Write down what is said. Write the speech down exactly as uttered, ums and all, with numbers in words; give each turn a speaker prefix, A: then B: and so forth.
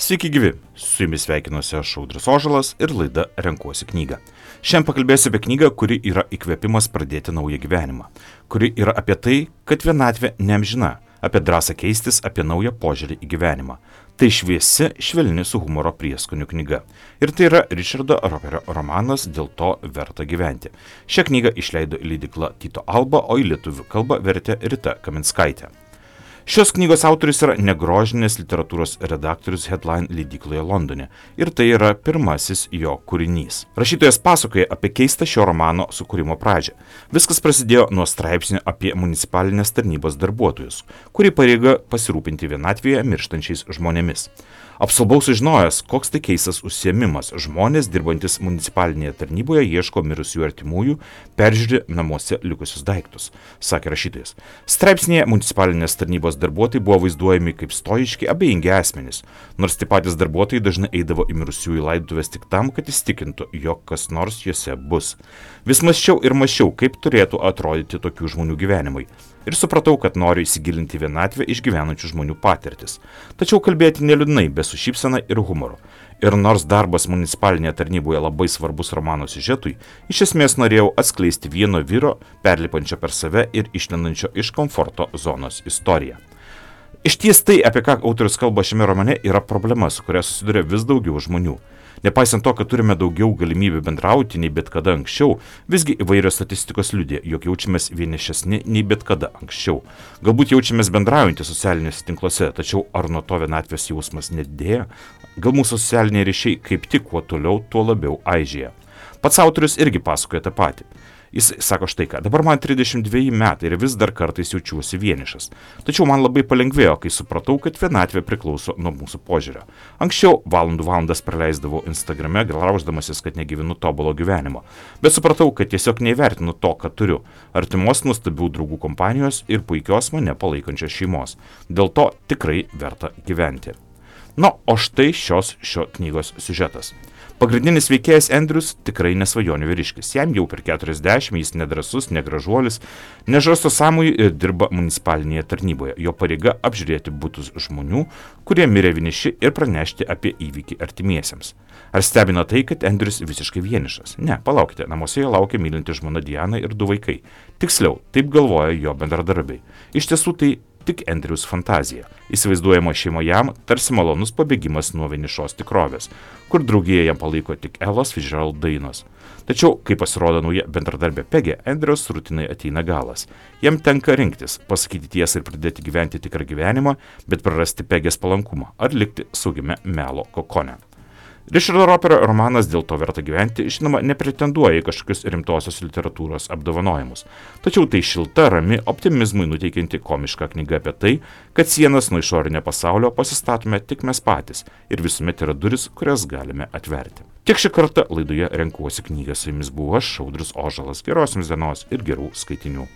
A: Sveiki gyvi, su jumis sveikinuosi aš Audrius Ožalas ir laida Renkuosi knygą. Šiandien pakalbėsiu apie knygą, kuri yra įkvėpimas pradėti naują gyvenimą, kuri yra apie tai, kad vienatvė neamžina, apie drąsą keistis, apie naują požiūrį į gyvenimą. Tai šviesi, švelni su humoro prieskonių knyga. Ir tai yra Richardo Roperio romanas Dėl to verta gyventi. Šią knygą išleido leidykla Tyto Alba, o į lietuvių kalbą vertė Rita Kaminskaitė. Šios knygos autorius yra negrožinės literatūros redaktorius Headline leidykloje Londone ir tai yra pirmasis jo kūrinys. Rašytojas pasakoja apie keistą šio romano sukūrimo pradžią. Viskas prasidėjo nuo straipsnio apie municipalinės tarnybos darbuotojus, kuri pareiga pasirūpinti vienatvėje mirštančiais žmonėmis. Apsalbau sužinojęs, koks tai keistas užsiėmimas. Žmonės, dirbantis municipalinėje tarnyboje, ieško mirusių artimųjų, peržiūri namuose likusius daiktus, sakė rašytojas. Straipsnėje municipalinės tarnybos darbuotojai buvo vaizduojami kaip stoiški, abejingi asmenys, nors tie patys darbuotojai dažnai eidavo į mirusiųjų laidotuvės tik tam, kad įstikintų, jog kas nors juose bus. Vis mąsčiau ir mąsčiau, kaip turėtų atrodyti tokių žmonių gyvenimai. Ir supratau, kad noriu įsigilinti vienatvę išgyvenančių žmonių patirtis. Tačiau kalbėti neliūdnai, be su šypsena ir humoru. Ir nors darbas municipalinėje tarnyboje labai svarbus romano siužetui, iš esmės norėjau atskleisti vieno vyro, perlipančio per save ir išlendančio iš komforto zonos istoriją. Iš ties tai, apie ką autorius kalba šiame romane, yra problema, su kuria susiduria vis daugiau žmonių. Nepaisant to, kad turime daugiau galimybių bendrauti nei bet kada anksčiau, visgi įvairios statistikos liudija, jog jaučiamės vienišesni nei bet kada anksčiau. Galbūt jaučiamės bendraujantys socialiniuose tinkluose, tačiau ar nuo to vienatvės jausmas nedidėja? Gal mūsų socialiniai ryšiai kaip tik kuo toliau, tuo labiau aižėja. Pats autorius irgi pasakoja tą patį. Jis sako štai ką, dabar man trisdešimt dveji metai ir vis dar kartais jaučiuosi vienišas. Tačiau man labai palengvėjo, kai supratau, kad vienatvė priklauso nuo mūsų požiūrio. Anksčiau valandų valandas praleisdavau Instagrame, grauždamasis, kad negyvenu tobulo gyvenimo. Bet supratau, kad tiesiog neįvertinu to, ką turiu. Artimos nuostabių draugų kompanijos ir puikios mane palaikančios šeimos. Dėl to tikrai verta gyventi. Na, o štai šios šio knygos siužetas. Pagrindinis veikėjas Andrews tikrai nesvajonių vyriškis. Jam jau per keturiasdešimt, jis nedrasus, negražuolis, nežarsto sąmojų ir dirba municipalinėje tarnyboje. Jo pareiga apžiūrėti butus žmonių, kurie mirė vieniši ir pranešti apie įvykį artimiesiems. Ar stebina tai, kad Andrews visiškai vienišas? Ne, palaukite, namuose jo laukia mylinti žmona Diana ir du vaikai. Tiksliau, taip galvoja jo bendradarbiai. Iš tiesų tai tik Andrews fantazija. Įsivaizduojama šeima jam tarsi malonus pabėgimas nuo vienišos tikrovės, kur draugėje jam palaiko tik Ellos Fitzgerald dainos. Tačiau, kai pasirodo nauja bendradarbė Pegė, Andrews rutinai ateina galas. Jam tenka rinktis, pasakyti tiesą ir pradėti gyventi tikrą gyvenimą, bet prarasti Pegės palankumą ar likti saugiame melo kokone. Richardo Roperio romanas Dėl to verta gyventi, žinoma, nepretenduoja į kažkokius rimtosios literatūros apdovanojimus. Tačiau tai šilta, rami, optimizmui nuteikianti komiška knyga apie tai, kad sienas nuo išorinio pasaulio pasistatome tik mes patys ir visuomet yra duris, kurias galime atverti. Tiek šį kartą laidoje Renkuosi knygą, su jumis buvo aš, Audrius Ožalas. Geros jums dienos ir gerų skaitinių.